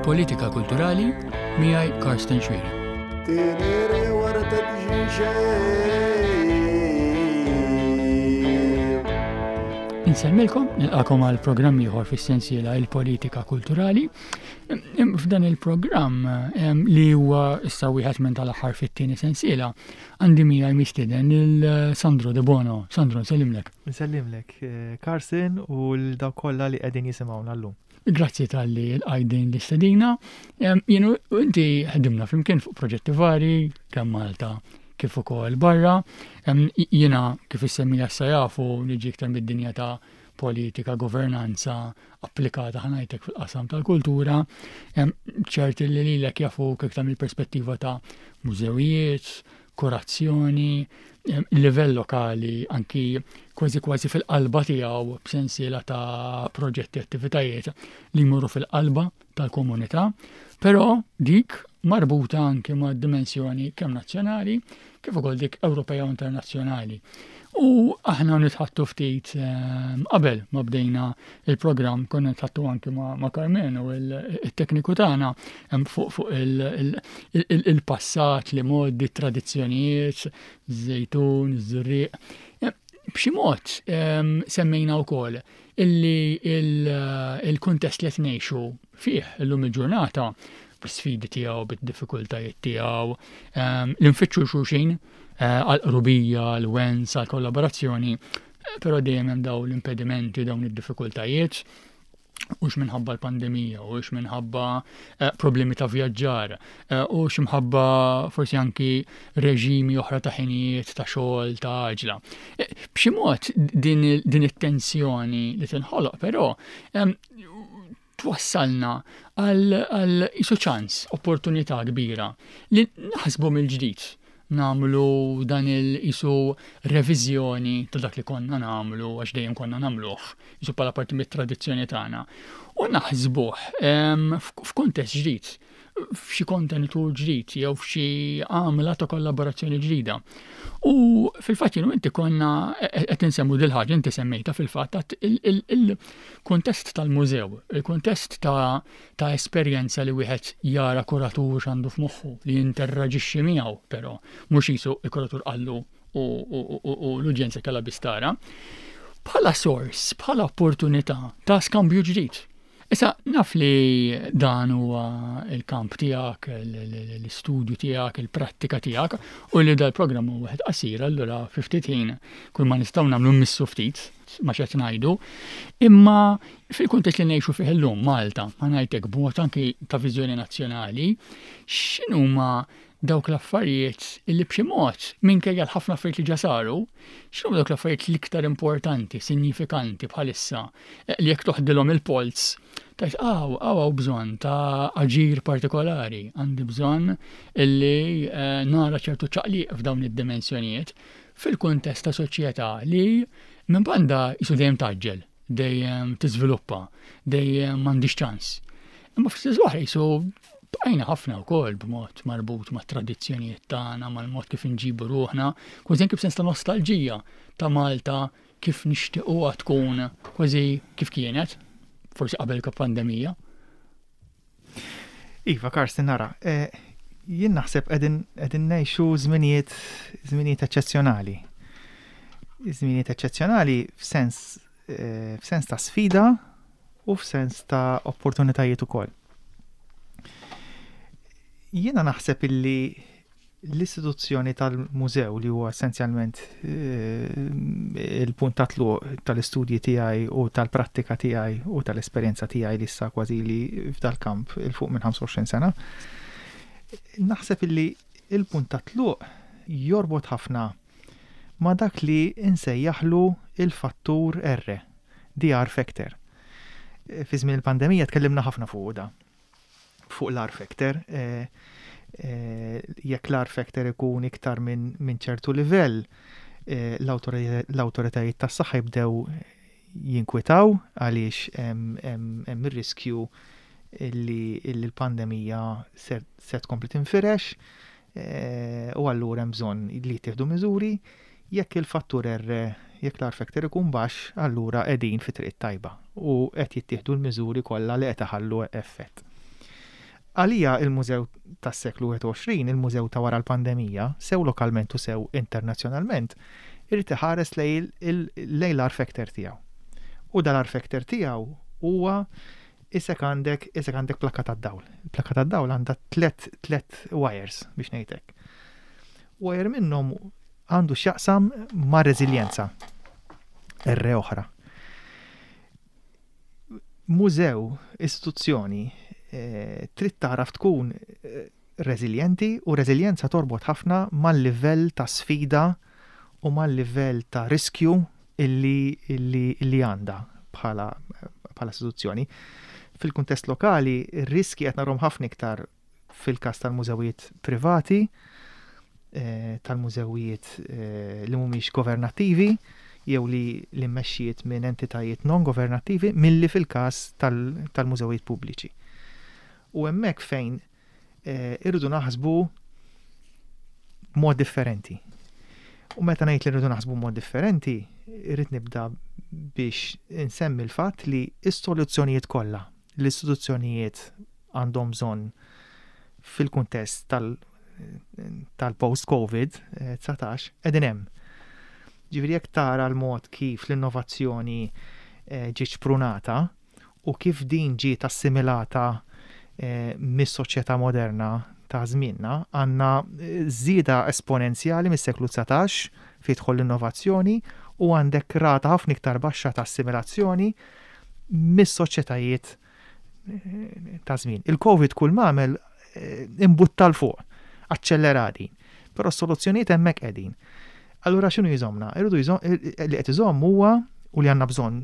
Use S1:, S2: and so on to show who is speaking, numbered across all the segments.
S1: Il-Politika Kulturali miegħi Karsten Xuereb. Insellmilkom, nilqakom għal programm ieħor fis-sensiela Il-Politika Kulturali. F'dan il-programm li huwa issa wieħed minn tal-aħħar fit-tieni sensiela, għandi miegħi mistieden il-Sandro De Bono. Sandro, nsellimlek.
S2: Nsellimlek, eh, Carson u l-dawk kollha li qegħdin jisimgħuna llum.
S1: Grazzi tal-li l-għajdin l-istedina. Jien u inti ħdimna flimkien fuq proġetti vari, kemm Malta kif ukoll barra. Jiena kif issemmija issa jafu niġi iktar mid-dinja ta' politika, governanza applikata ħanajtek fil-qasam tal-kultura. Ċert li lilek jafu iktar mill-perspettiva ta' mużewijiet, kurazzjoni, livell lokali anki kważi kważi fil-qalba tiegħu b'sensiela ta' proġetti attivitajiet li jmorru fil-qalba tal-komunità, però dik marbuta anki ma' dimensjoni kemm nazzjonali kif ukoll dik Ewropea u internazzjonali. U aħna nitħattu ftit ehm, qabel ma bdejna il-programm konna nitħattu anki ma' Carmenu il-tekniku tagħna ehm, fuq il-passat li modi, tradizzjonijiet, żejtun, żurrieq. Ehm, b'xi mod semmejna wkoll illi il-kuntest li qed ngħixu fih illum il-ġurnata bl-sfidi tiegħu, bid-diffikultajiet tiegħu, l-infittxu xulxin eh, għal-qrubija, l-wens, għal-kollaborazzjoni, eh, però dejjem hemm dawn l-impedimenti, dawn id-diffikultajiet ux minħabba l-pandemija, ux minħabba eh, problemi ta' vjaġġar, u x'imħabba forsi anki reġimi oħra ta' ħinijiet ta' xogħol ta' għaġla. B'xi mod din it-tensjoni li tinħoloq però twassalna għal isu ċans, opportunità kbira li naħsbu mill-ġdid namlu dan il-isu reviżjoni ta' dak li konna namlu għax dejjem konna namluh, isu bħala parti mit-tradizzjoni tagħna. U naħsbuh f'kuntest ġdid f'xi kontenitur ġdid jew f'xi għamla ta' kollaborazzjoni ġdida. U fil-fatt jienu inti konna qed insemmu dil ħaġa inti semmejta fil-fatt il-kuntest tal-mużew, il-kuntest ta' ta' esperjenza li wieħed jara kuratur x'għandu f'moħħu li jinterraġixxi miegħu però mhux jisu il-kuratur qallu u l-udjenza kellha biss tara. Bħala sors, bħala opportunità ta' skambju ġdid. Issa, naf li dan huwa l-kamp tiegħek, l-istudju tiegħek, il-prattika tiegħek, u li dal-programm huwa wieħed qasir, allura fi ftit ħin kull ma nistgħu nagħmlu mmissu ftit ma x'qed ngħidu. Imma fil-kuntest li ngħixu fih illum Malta, ma ngħidlek b'mod anki ta' viżjoni nazzjonali, x'inhuma dawk l-affarijiet li b'xi mod, minkejja l-ħafna affarijiet li ġa saru, x'inhuma dawk l-affarijiet l-iktar importanti, sinjifikanti bħalissa, eh, li jekk toħdilhom il-polz, tajt għaw, għaw għaw bżonn ta' aġir partikolari, għandi bżonn illi eh, nara ċertu ċaqliq f'dawn id-dimensjonijiet fil-kuntest ta' soċjetà li minn banda jisu dejjem taġġel dejjem tiżviluppa, dejjem m'għandix ċans. Imma fl-istess waħda jisu bqajna ħafna wkoll b'mod marbut mat tradizzjonijiet tagħna, mal-mod kif inġibu ruħna, kważi anke b'sens ta' nostalġija ta' Malta kif nixtiequha tkun kważi kif kienet, forsi qabel pandemija.
S2: Iva, Karsten, nara, eh, jien naħseb qegħdin ngħixu żminijiet żminijiet eċċezzjonali. Żminijiet eċċezzjonali f'sens eh, f'sens ta' sfida u f'sens ta' opportunitajiet ukoll. Jiena naħseb illi L-istituzzjoni tal-mużew li huwa essenzjalment il-punt ta' tluq tal-istudji tiegħi u tal-prattika tiegħi u tal-esperjenza tiegħi li issa kważi li f'dal-kamp 'il fuq minn 25 sena, naħseb illi l-punt ta' tluq jorbot ħafna ma' dak li nsejjaħlu l-fattur R, the R factor. Fi żmien il-pandemija tkellimna ħafna fuqu da. fuq l-R factor. Jekk l-R factor ikun iktar minn ċertu livell, l-awtoritajiet tas-saħħa jibdew jinkwitaw għaliex hemm ir-riskju li l-pandemija se tkompli tinfirex u allura hemm bżonn li jittieħdu miżuri. Jekk il-fattur R, jekk l-R factor ikun baxx, allura qegħdin fit-triq it-tajba u qed jittieħdu l-miżuri kollha li qed iħallu effett. Għalija il-mużew tas-seklu 21, il-mużew ta' wara l-pandemija, sew lokalment u sew internazzjonalment, irid iħares lejn l-R factor tiegħu. U dal-R factor tiegħu huwa isek għandek isek għandek plakka tad-dawl. Il-plakka tad-dawl għandha tlet wires biex ngħidlek. Wire minnhom għandu x'jaqsam ma' reżiljenza. R oħra. Mużew, istituzzjoni, trid tagħraf tkun reżiljenti u reżiljenza torbot ħafna mal-livell ta' sfida u mal-livell ta' riskju illi, illi, illi għandha bħala, bħala istituzzjoni. Fil-kuntest lokali, ir-riski qed narhom ħafna iktar fil-każ tal-mużewijiet privati, tal-mużewijiet li mhumiex governattivi jew li li mmexxijiet minn entitajiet non governattivi milli fil-każ tal-mużewijiet pubbliċi. U hemmhekk fejn irridu naħsbu b'mod differenti. U meta ngħid li rridu naħsbu b'mod differenti, irrid nibda biex insemmi l-fatt li s-soluzzjonijiet kollha l-istituzzjonijiet għandhom bżonn fil-kuntest tal-post-Covid-19 qegħdin hemm. Ġifieri jekk tara l-mod kif l-innovazzjoni ġiet xprunata u kif din ġiet assimilata mis-soċjetà moderna ta' żmienna, għandna żieda esponenzjali mis-seklu 19 fejn tidħol l-innovazzjoni u għandek rata ħafna iktar baxxa ta' assimilazzjoni mis-soċjetajiet ta' żmien. Il-Covid kull m'għamel imbutta 'l fuq, aċċellera din. Però s-soluzzjonijiet hemmhekk qegħdin. Allura x'inhu jżommna? Irridu li qed iżomm huwa u li għandna bżonn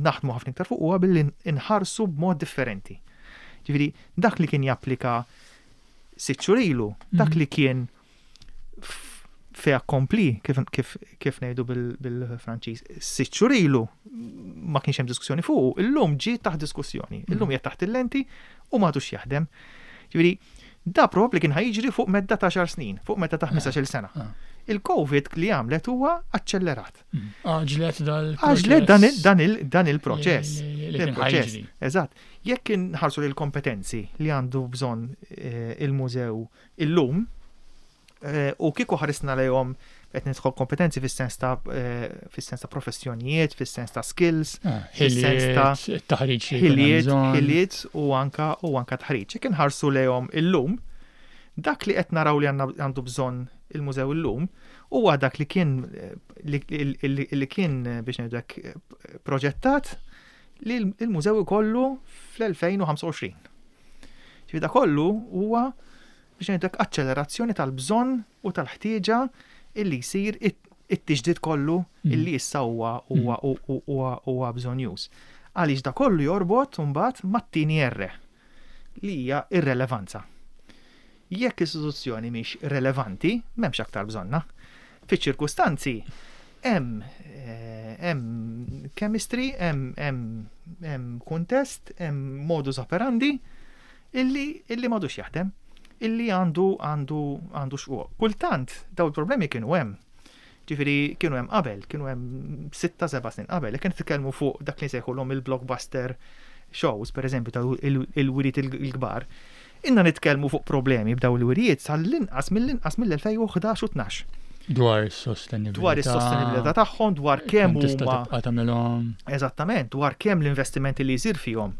S2: naħdmu ħafna iktar fuq huwa billi nħarsu b'mod differenti. Ġifieri dak li kien japplika sitt xhur ilu, dak li kien fait accompli, kif, kif, kif ngħidu bil-Franċiż, sitt xhur ilu ma kienx hemm diskussjoni fuq, illum ġie taħt diskussjoni, illum qiegħed taħt il-lenti u m'għadux jaħdem. Ġifieri, da probabbli kien ħa jiġri fuq medda ta' 10 snin, fuq medda ta' 15-il sena. Il-Covid li għamlet huwa aċċellerat.
S1: Għaġlet dal
S2: Għaġlet dan il-proċess. Il-proċess. Eżatt. Jekk inħarsu lil kompetenzi li għandu bżonn il-mużew illum, u kieku ħarisna lejhom qed nidħol kompetenzi fis-sens ta' fis-sens ta' professjonijiet, fis-sens ta' skills,
S1: fis-sens ta' taħriġ,
S2: ħiliet, ħiliet u anka u anka taħriġ. Jekk inħarsu lejhom illum, dak li qed naraw li għandu bżonn il-mużew illum huwa dak li kien li kien biex ngħidlek proġettat li l-mużew ikollu fl-2025. Ġifieri da kollu huwa biex ngħidlek aċċelerazzjoni tal-bżonn u tal-ħtieġa illi jsir it-tiġdid kollu illi issa huwa huwa huwa huwa bżonnjuż. Għaliex da kollu jorbot mbagħad mat-tieni R li hija ir-relevanza. Jekk istituzzjoni mhix relevanti, m'hemmx aktar bżonna. Fiċ-ċirkustanzi hemm hemm chemistry, hemm hemm kuntest, hemm modus operandi illi illi m'għadux jaħdem, illi għandu għandu għandu xquq. Kultant daw il-problemi kienu hemm. Ġifieri kienu hemm qabel, kienu hemm 6-7 snin qabel, jekk nitkellmu fuq dak li nsejħulhom il-blockbuster shows, per eżempju, ta' il-wiriet il-kbar, inna nitkellmu fuq problemi b'daw il-wirijiet sal-inqas mill-inqas mill-2011 u 12.
S1: Dwar is-sostenibilità.
S2: Dwar is-sostenibilità tagħhom, dwar kemm
S1: huma. tagħmelhom.
S2: Eżattament, dwar kemm l-investimenti li jsir fihom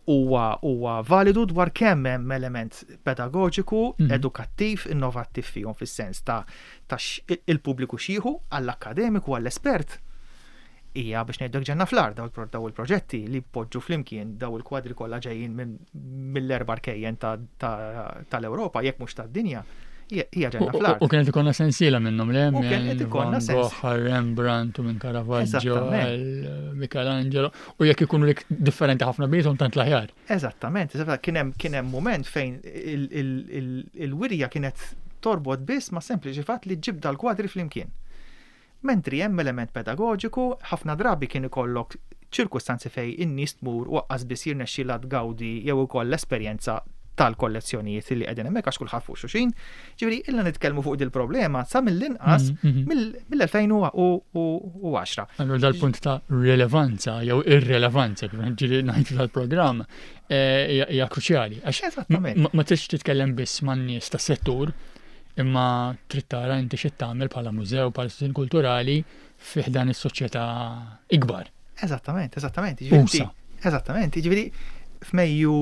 S2: huwa huwa validu dwar kemm hemm element pedagoġiku, edukattiv, innovattiv fihom fis-sens ta' ta' il-pubbliku xieħu għall-akkademiku, għall-espert. Hija biex ngħidlek ġenna fl-art daw il-proġetti li poġġu flimkien daw il-kwadri kollha ġejjin mill-erba' rkejjen tal-Ewropa, jekk mhux tad-dinja, hija ġenna fl-art.
S1: U kienet ikollna sensiela minnhom le
S2: U kienet ikollna
S1: sensiela. Rembrandt u minn Caravaggio, Michelangelo, u jekk ikunu lik differenti ħafna bejthom tant l-aħjar.
S2: Eżattament, kien hemm moment fejn il-wirja kienet torbot biss ma' sempliċi fatt li ġib dal-kwadri flimkien. Mentri hemm element pedagoġiku, ħafna drabi kien ikollok ċirkustanzi fej in-nies tmur u aqqas biss jirnexxilha tgawdi jew ukoll l-esperjenza tal-kollezzjonijiet li qegħdin hemmhekk għax kulħadd fuq xulxin. Ġifieri illa nitkellmu fuq dil-problema sa mill-inqas mill-2010.
S1: Allura dal-punt ta' rilevanza jew irrelevanza kif ġieli ngħidu tal-programm eh, hija kruċjali. Għax ma tridx titkellem biss man-nies tas-settur, imma trid tara inti xi tagħmel bħala mużew, bħala istituzzjoni kulturali fi ħdan is-soċjetà ikbar.
S2: Eżattament, eżattament. Eżattament, jiġifieri f'Mejju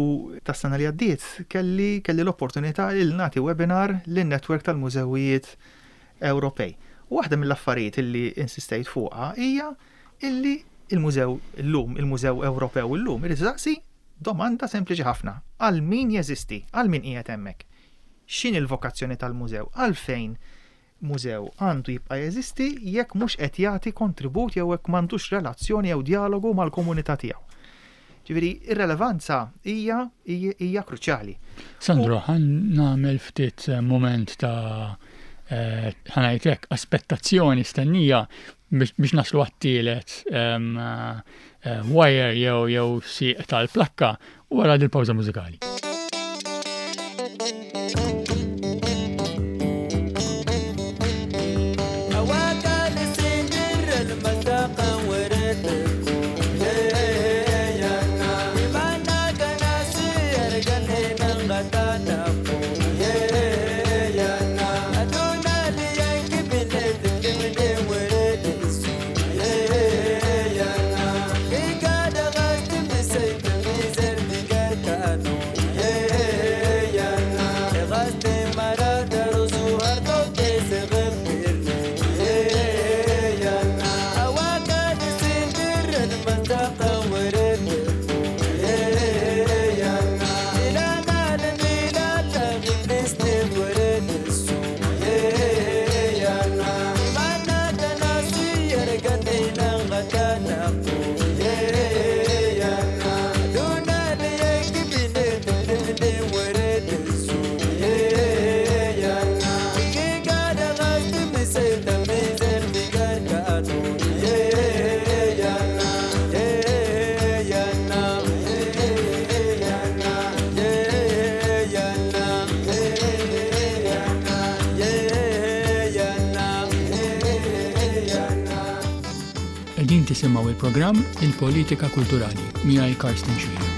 S2: tas-sena li għaddiet kelli kelli l-opportunità li nagħti webinar lin-netwerk tal-mużewijiet Ewropej. U waħda mill-affarijiet illi insistejt fuqha hija illi il-mużew illum, il-Mużew Ewropew illum irid isaqsi domanda sempliċi ħafna. Għal min jeżisti? Għal min qiegħed hemmhekk? X'inhi l-vokazzjoni tal-mużew? Għalfejn mużew għandu jibqa' jeżisti jekk mhux qed jagħti kontribut jew jekk m'għandux relazzjoni jew djalogu mal-komunità tiegħu. Ġifieri, ir-relevanza hija hija kruċjali.
S1: Sandro, ħa nagħmel ftit eh, mument ta' eh, ħa ngħid hekk aspettazzjoni stennija biex naslu għat-tielet ehm, eh, wire jew jew sieq tal-plakka wara dil-pawża mużikali. Qegħdin tisimgħu il-programm Il-Politika Kulturali miegħi Karsten Xwir.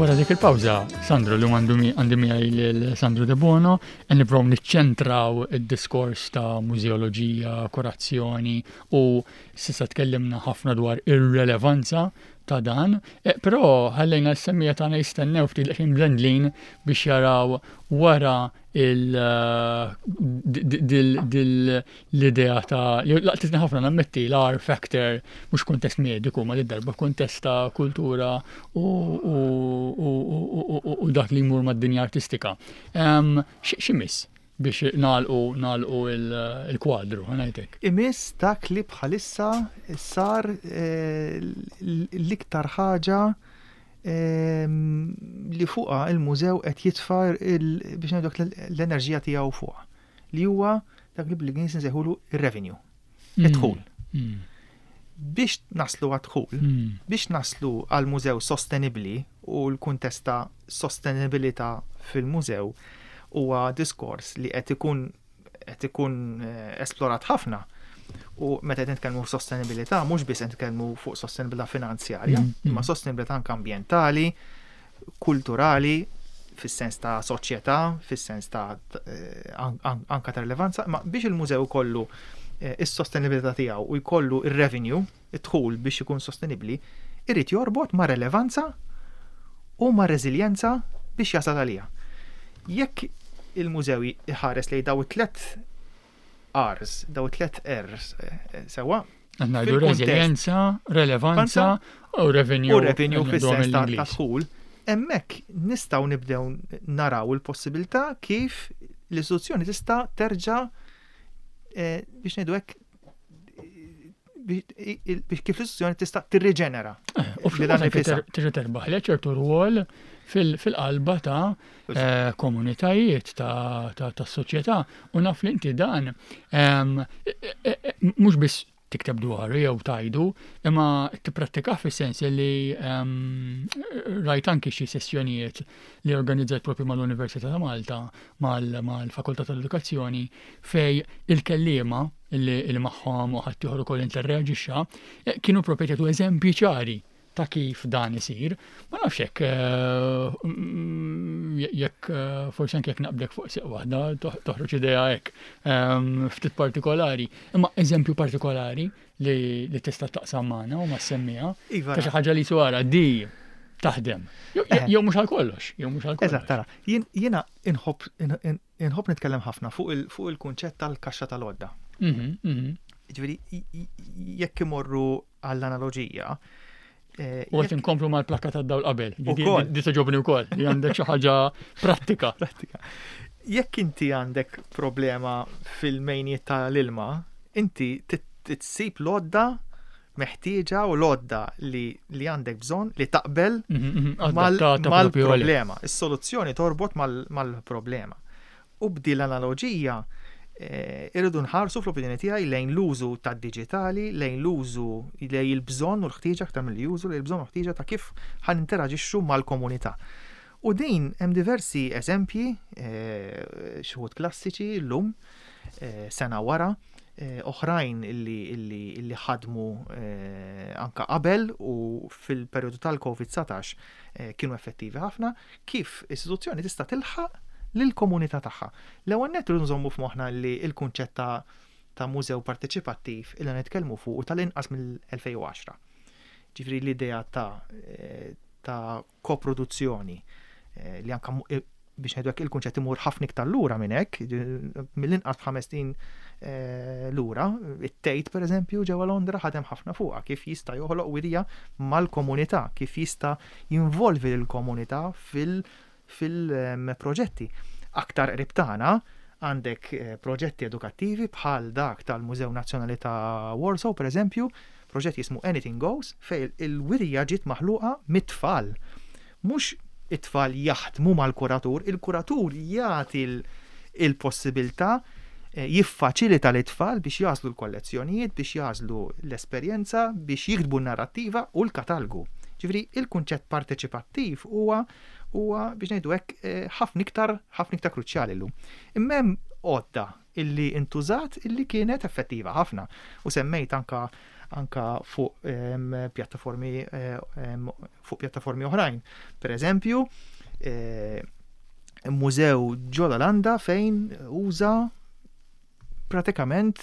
S1: Wara dik il-pawża, Sandro, li għandu għandi miegħi lil Sandro De Bono, qed nippruvaw niċċentraw id-diskors ta' mużeoloġija, kurazzjoni u s'issa tkellimna ħafna dwar ir-relevanza ta' dan, eh, però ħallejna s-semmija tagħna jistennew ftit daqsxejn mlendlin biex jaraw wara l-idea ta' li laqtitni ħafna nammetti l-R factor mhux kuntest mediku ma darba kuntest ta' kultura u dak li jmur mad-dinja artistika. X'imiss? Biex nagħlqu nagħlqu il-kwadru, ħa ngħidlek.
S2: Imiss dak li bħalissa sar l-iktar ħaġa li fuqha il-mużew qed jitfa' biex ngħidu l-enerġija tiegħu fuqha, li huwa dak li bl-Ingliż nsejħulu ir-revenue, id-dħul. Biex naslu għad-dħul, biex naslu għal mużew sostenibbli u l-kuntest ta' sostenibilità fil-mużew huwa diskors li qed ikun esplorat ħafna. U meta qed nitkellmu sostenibilità, mhux biss qed nitkellmu fuq sostenibilità finanzjarja, imma sostenibilità anke ambjentali, kulturali, fis-sens ta' soċjetà, fis-sens ta' anka ta' rilevanza, ma biex il-mużew kollu is-sostenibilità tiegħu u jkollu ir-revenue, id-dħul biex ikun sostenibbli, irid jorbot ma' relevanza u ma' reżiljenza biex jasal għalija. Jekk il-mużew iħares lejn daw it-tlet R's, daw it-tlet R's, sewa.
S1: Ngħidu reżiljenza, relevanza u revenue.
S2: U revenue fis-sens ta' dħul. Hemmhekk nistgħu nibdew naraw il-possibilità kif l-istituzzjoni tista' terġa' biex ngħidu hekk biex kif l-istituzzjoni tista' tirriġenera.
S1: U terġa' terbaħ li ċertu rwol fil-qalba ta' komunitajiet ta' soċjetà u naf li inti dan mhux biss tikteb dwaru jew tajdu, imma tipprattika fis-sens li rajt anki xi sessjonijiet li organizzajt propju mal-Università ta' Malta, mal-Fakultà tal-Edukazzjoni, fej il-kellima li magħhom u ħadd ieħor ukoll interreaġixxa, kienu propju jagħtu eżempji ċari ta' kif dan isir. Ma nafx hekk jekk forsi anke jekk naqblek fuq seq waħda toħroġ idea hekk ftit partikolari. Imma eżempju partikolari li tista' taqsam magħna u ma semmija.
S2: Iva.
S1: Ta' xi ħaġa li swara di taħdem. Jew mhux għal kollox, jew mhux għal kollox.
S2: Eżatt, tara, jiena inħobb nitkellem ħafna fuq il-kunċett tal-kaxxa tal-għodda. Ġifieri, jekk imorru għall-analoġija,
S1: U qed inkomplu mal-plakka tad-dawl qabel. Di togħġobni wkoll, li għandek xi ħaġa prattika.
S2: Prattika. Jekk inti għandek problema fil-mejniet tal-ilma, inti titsib l-għodda meħtieġa u l-għodda li għandek bżonn li taqbel mal-problema. Is-soluzzjoni torbot mal-problema. U b'di l-analoġija irridu nħarsu fl-opinjoni tiegħi lejn l-użu tad-diġitali, lejn l-użu lejn il-bżonn u l-ħtieġa aktar milli użu lejn il-bżonn u l-ħtieġa ta' kif ħa ninteraġixxu mal-komunità. U din hemm diversi eżempji, xi wħud klassiċi llum, sena wara, oħrajn illi ħadmu anka qabel u fil-perjodu tal-COVID-19 kienu effettivi ħafna, kif istituzzjoni tista' tilħaq lill-komunità tagħha. L-ewwel nett irridu nżommu f'moħħna li l-kunċett ta' mużew parteċipattiv illi nitkellmu fuq u tal-inqas mill-2010. Ġifieri l-idea ta' koproduzzjoni li anka biex ngħidu hekk il-kunċett imur ħafna iktar lura minn hekk, mill-inqas 5 snin lura, it-Tate pereżempju ġewwa Londra ħadem ħafna fuqha kif jista' joħloq wirja mal-komunità, kif jista' jinvolvi l-komunità fil-proġetti. Aktar qrib tagħna għandek proġetti edukattivi bħal dak tal-Mużew Nazzjonali ta' Warsaw, per eżempju, proġett jismu Anything Goes, fej il-wirja ġiet maħluqa mit-tfal. Mhux it-tfal jaħdmu mal-kuratur, il-kuratur jagħti il-possibilità jiffaċilita l-tfal biex jagħżlu l-kollezzjonijiet, biex jagħżlu l-esperjenza, biex jiktbu n-narrattiva u l-katalgu. Ġifieri, il-kunċett parteċipattiv huwa biex ngħidu hekk ħafna iktar kruċjali llum. Imma hemm għodda illi intużat illi kienet effettiva ħafna u semmejt anka fuq pjattaformi fuq pjattaformi oħrajn. Per eżempju, mużew ġol-Olanda fejn uża pratikament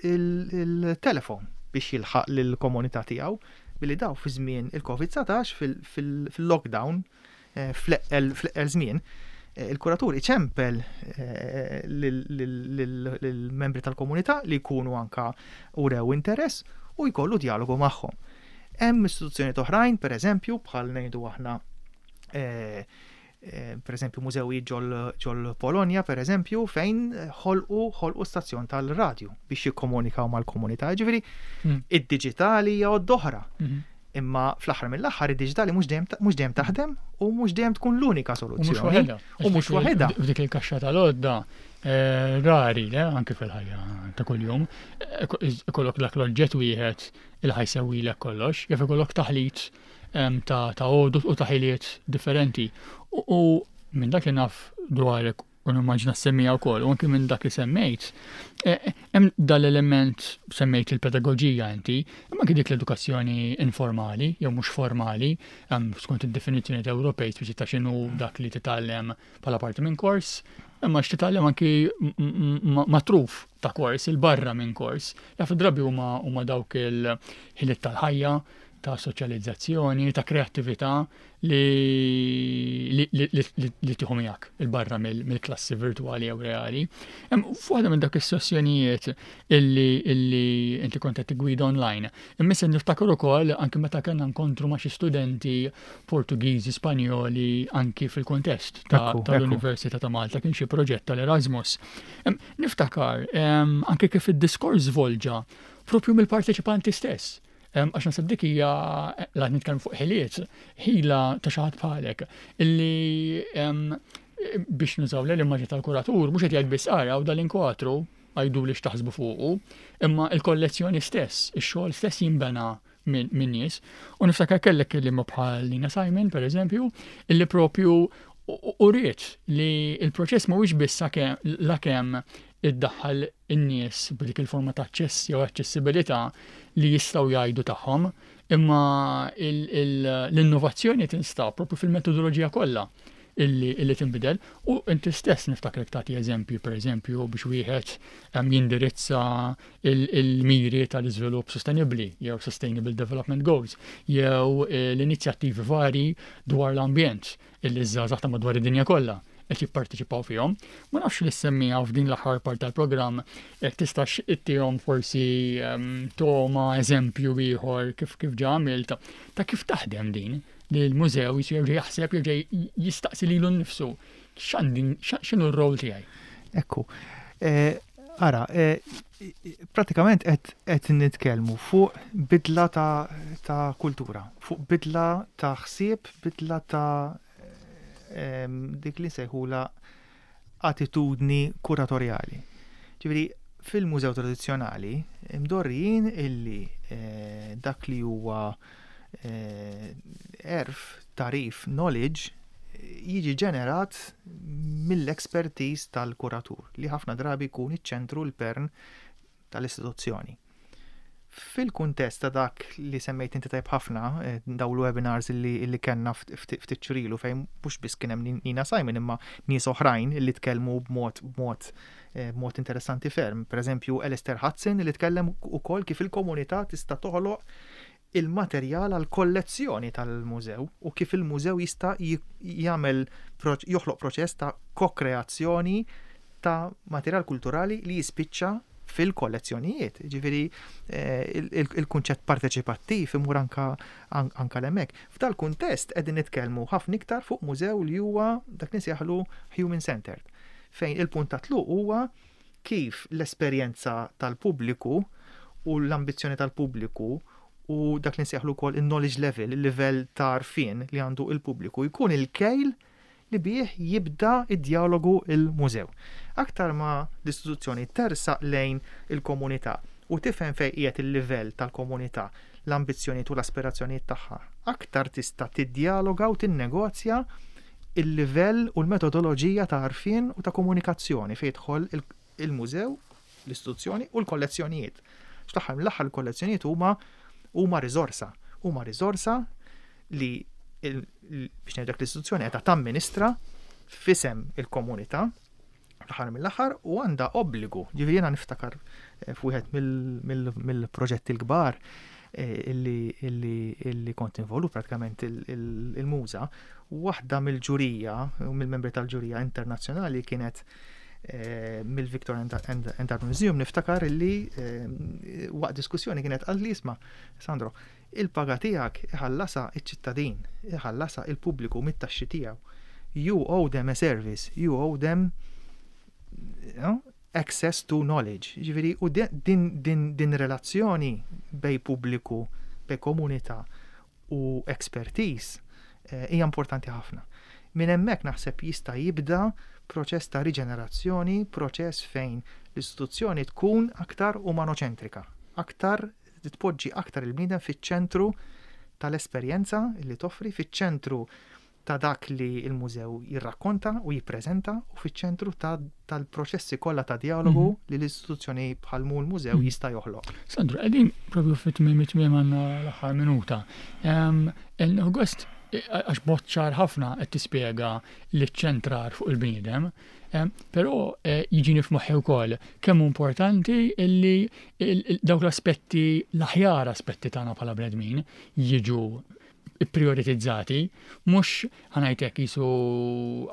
S2: il-telefon biex jilħaq lill-komunità tiegħu billi daw fi żmien il-COVID-19 fil-lockdown fl-eqqel żmien il-kuratur iċempel lill-membri tal-komunità li jkunu anka urew interess u jkollu dialogu magħhom. Hemm istituzzjonijiet oħrajn, per eżempju, bħal ngħidu aħna Per eżempju, mużewijiet ġol Polonja, per eżempju, fejn ħolqu ħolqu stazzjon tal-radju biex jikkomunikaw mal-komunità. Ġifieri, id-diġitali hija oħra. Imma fl-aħħar mill-aħħar id-diġitali mhux dejjem taħdem u mhux dejjem tkun l-unika soluzzjoni.
S1: U mhux waħedha. F'dik il-kaxxa tal-għodda rari, le, anke fil-ħajja ta' kuljum, ikollok dak l-oġġett wieħed il ħa jsewwilek kollox, jaf ikollok taħlit ta' għodod u ta' ħiliet differenti. U minn dak li naf dwarek u nimmaġina semmija wkoll, u anki minn dak li semmejt, hemm dal-element semmejt il-pedagoġija inti, imma anki dik l-edukazzjoni informali jew mhux formali, skont id-definizzjoni Ewropej speċi ta' x'inhu dak li titgħallem bħala parti minn kors, imma x'titgħallem anki matruf ta' kors, il-barra minn kors. Jaf drabi huma dawk il-ħiliet tal-ħajja, ta' soċjalizzazzjoni, ta' kreattività li tieħu miegħek il-barra mill-klassi virtuali jew reali. F'waħda minn dak is-sessjonijiet illi inti kont qed tiggwida online, imma se niftakar ukoll anki meta kellna nkontru ma' xi studenti Portugiżi, Spanjoli, anki fil-kuntest tal-Università ta' Malta kien xi proġett tal-Erasmus. Niftakar anki kif id-diskors volġa propju mill-parteċipanti stess. Għax naħseb dik hija la nitkellmu fuq ħiliet, ħila ta' xi ħadd bħalek illi biex nużaw l-immaġni tal-kuratur mhux qed jgħid biss ara u dal-inkwatru għajdu li x'taħsbu fuqu, imma il-kollezzjoni stess, ix-xogħol stess jinbena minn nies. U niftakar kellek kelliema bħal Nina Simon, per eżempju, illi propju uriet li il-proċess mhuwiex biss la kemm iddaħħal in-nies b'dik il-forma ta' aċċess jew aċċessibilità li jistgħu jgħidu tagħhom, imma l-innovazzjoni tinstab propju fil-metodoloġija kollha illi tinbidel. U inti stess niftakrek tagħti eżempju, per eżempju, biex wieħed jindirizza il-miri tal-iżvilupp sostenibbli jew Sustainable Development Goals jew l-inizjattivi vari dwar l-ambjent illi żgħażagħ ta' madwar id-dinja kollha qed jipparteċipaw fihom. Ma nafx li semmija f'din l-aħħar part tal-programm jekk tistax ittihom forsi toma eżempju ieħor kif ġa għamilt ta' kif taħdem din li l-mużew jisir jerġa' jaħseb, jerġa' jistaqsi lilu nnifsu x'inhu r-rol tiegħi.
S2: Ekku. Ara, pratikament qed nitkellmu fuq bidla ta' kultura, fuq bidla ta' ħsieb, bidla ta' dik li nsejħula attitudni kuratorjali. Ġifieri, fil-mużew tradizzjonali imdorrijin illi dak li huwa għerf, tagħrif, knowledge jiġi ġenerat mill-expertise tal-kuratur li ħafna drabi jkun iċ-ċentru, l-pern tal-istituzzjoni. Fil-kuntest ta' dak li semmejt inti tajb ħafna, daw l-webinars illi kellna ftit xhur ilu fejn mhux biss kien hemm Nina Simon imma nies oħrajn illi tkellmu b'mod interessanti ferm. Per eżempju, Alistair Hudson li tkellem ukoll kif il-komunità tista' toħloq il-materjal għal kollezzjoni tal-mużew u kif il-mużew jista' joħloq proċess ta' kokreazzjoni ta' materjal kulturali li jispiċċa fil-kollezzjonijiet. Ġifieri, il-kunċett parteċipattiv imur anka l-hemmhekk. F'dal kuntest qegħdin nitkellmu ħafna iktar fuq mużew li huwa dak li nsejħlu human centered, fejn il-punt ta' tluq huwa kif l-esperjenza tal-pubbliku u l-ambizzjoni tal-pubbliku u dak li nsejħlu wkoll il-knowledge level, il-livell ta' għarfien li għandu il-pubbliku jkun il-kejl li bih jibda id-dialogu il-mużew. Aktar ma l-istituzzjoni tersaq lejn il-komunità u tifhem fejn qiegħed il-livell tal-komunità, l-ambizzjonijiet u l-aspirazzjonijiet tagħha, aktar tista' tiddialoga u tinnegozja il-livell u l-metodoloġija ta' għarfien u ta' komunikazzjoni fejn jidħol il-mużew, l-istituzzjoni u l-kollezzjonijiet. Fl-aħħar mill-aħħar il-kollezzjonijiet huma riżorsa, huma riżorsa li biex ngħidlek l-istituzzjoni qiegħda tamministra f'isem il-komunità fl-aħħar mill-aħħar u għandha obbligu. Ġifieri jiena niftakar f'wieħed mill-proġetti l-kbar illi kont involut pratikament il-muża, waħda mill-ġurija, mill-membri tal-ġurija internazzjonali kienet mill-Victoria and Albert Museum, niftakar illi waqt diskussjoni kienet qal li isma', Sandro, il-paga tiegħek iħallasha iċ-ċittadin, iħallasha il-pubbliku mit-taxxi tiegħu. You owe them a service, you owe them you know, access to knowledge. Ġifieri, u din, din, din relazzjoni bejn pubbliku, bejn komunità u expertise hija importanti ħafna. Minn hemmhekk naħseb jista' jibda proċess ta' riġenerazzjoni, proċess fejn l-istituzzjoni tkun aktar umanoċentrika, aktar tpoġġi aktar il-bniedem fiċ-ċentru tal-esperjenza li toffri, fiċ-ċentru ta' dak li l-mużew jirrakkonta u jippreżenta u fiċ-ċentru tal-proċessi kollha ta' djalogu li l-istituzzjoni bħal mu l-mużew jista' joħloq.
S1: Sandro, qegħdin propju fit-tmiem it-tmiem għandna l-aħħar minuta. August, għax b'mod ċar ħafna qed tispjega li ċ-ċentrar fuq il-bniedem, però jiġini f'moħħi wkoll kemm hu importanti illi dawk l-aspetti, l-aħjar aspetti tagħna bħala bnedmin jiġu ipprioritizzati, mhux ħa ngħidlek qisu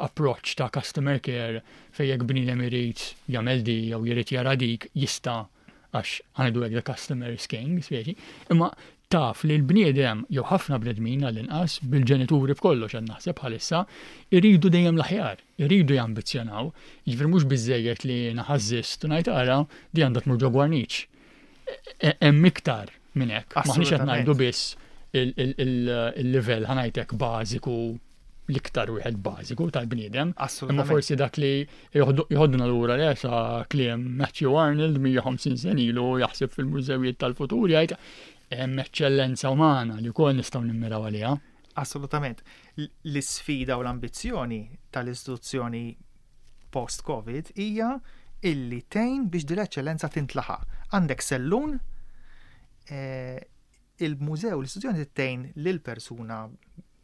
S1: approach ta' customer care fejn jekk bniedem irid jagħmel di jew jrid jara dik jista' għax ħa ngħidu hekk the customer is king, speċi, imma taf li l-bniedem jew ħafna bnedmin għall-inqas bil-ġenituri b'kollox qed naħseb bħalissa iridu dejjem l-aħjar, iridu jambizzjonaw, jiġifieri mhux biżżejjed li naħażżist u ngħid ara di għandha tmur ġo gwarniċ. Hemm iktar minn hekk. Maħniex qed ngħidu biss il-livell ħa ngħidlek bażiku l-iktar wieħed bażiku tal-bniedem. Imma forsi dak li joħodna lura le sa kliem Matthew Arnold 150 sen ilu jaħseb fil-mużewijiet tal-futur jgħid hemm eċċellenza umana li wkoll nistgħu nimmiraw għaliha.
S2: Assolutament. L-isfida u l-ambizzjoni tal-istituzzjoni post-Covid hija illi tgħin biex din l-eċċellenza tintlaħaq. Għandek sellun, il-mużew, l-istituzzjoni tgħin lil persuna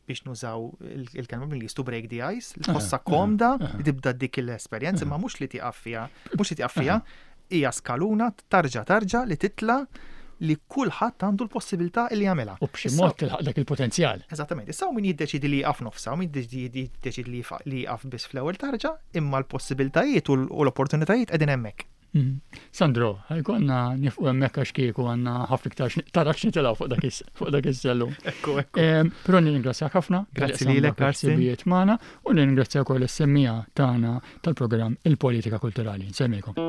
S2: biex nużaw il-kelma bil-Ingliż to break the ice, li tħossha komda li tibda dik l-esperjenza, ma mhux li tieqaf fiha, mhux li tieqaf fiha, hija skaluna tarġa tarġa li titla li kulħadd għandu l-possibilità li jagħmilha.
S1: U b'xi mod tilħaq dak il-potenzjal.
S2: Eżattament. Issa min jiddeċidi li jaqaf nofsa, u min jiddeċidi li jaqaf biss fl-ewwel tarġa, imma l-possibilitajiet u l-opportunitajiet qegħdin hemmhekk.
S1: Sandro, ħa jkollna nieqfu hemmhekk għax kieku għandna ħafna iktar tarax nitilgħu fuq dak is-sellum.
S2: Ekku, ekku.
S1: Però nirringrazzjak ħafna.
S2: Grazzi lilek, Karsten.
S1: Ħsibijiet magħna u nirringrazzja wkoll is-semmiegħa tagħna tal-programm Il-Politika Kulturali. Nsellmilkom.